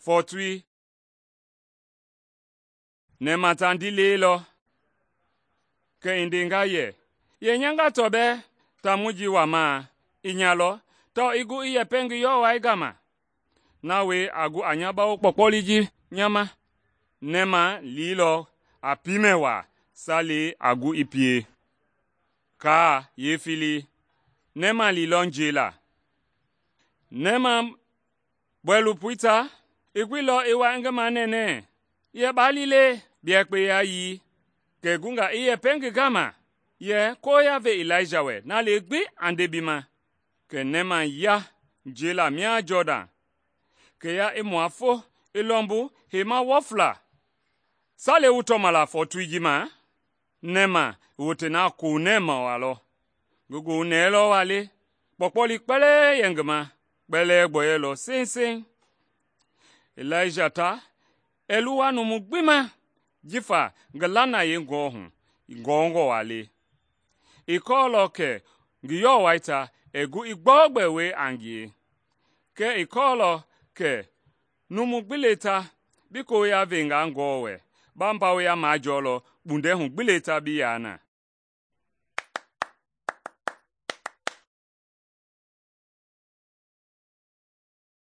Fɔɔtoi, nɛma ta ndilei lɔ. Kɛ i ndenga yɛ, ‘Yee nya gatɔ bɛɛ taamɔi ji wamaa, i nya lɔ tawao i gu i yɛpɛ ngi yɔwɔi gama. Na wie a gu a nya bawo kpɔkpɔloi ji nya ma.’ Nɛma liilɔ a piimɛ waa salei a gu i pie. Kaa yeefilii, nɛma liilɔ njɛi. Nɛma bɔilopoi ta i guilɔ i wa i ngi manɛnɛ yɛ, ‘Baa li le, bi yɛpɛ yayii.’ Kɛ i gunga i yɛpɛ ngi gama yɛ, ‘Koya ve Ilaija wɛ, na lee gbi a nde bi ma.’ Kɛ nɛma ya njɛi mia Jɔdan, kɛ ya i mua fo i lɔmbu heima wɔfla. Salei wu tɔma la fɔɔtoi ji ma? Nɛma i wote na konɛma waa lɔ. Ngi goohu nɛɛlɔ waa le, kpɔkpɔloi kpɛlɛɛ yɛ ngi ma, kpɛlɛɛ gbɔyɔilɔ seŋseŋ. Ilaija ta ɛɛ luwa numu gbi ma jifa ngi lanayei gɔɔ hu gɔngɔ waa le. I kɔɔlɔ kɛ ngi yɔwɔi ta ɛɛ gu i gbɔugbɛ wie a ngie. Kɛɛ i kɔɔlɔ kɛ numu gbi le ta bi koya venga gɔɔ wɛ, ba mbawoya majɔɔlɔ kpundɛ hu gbi le ta bi yaa na.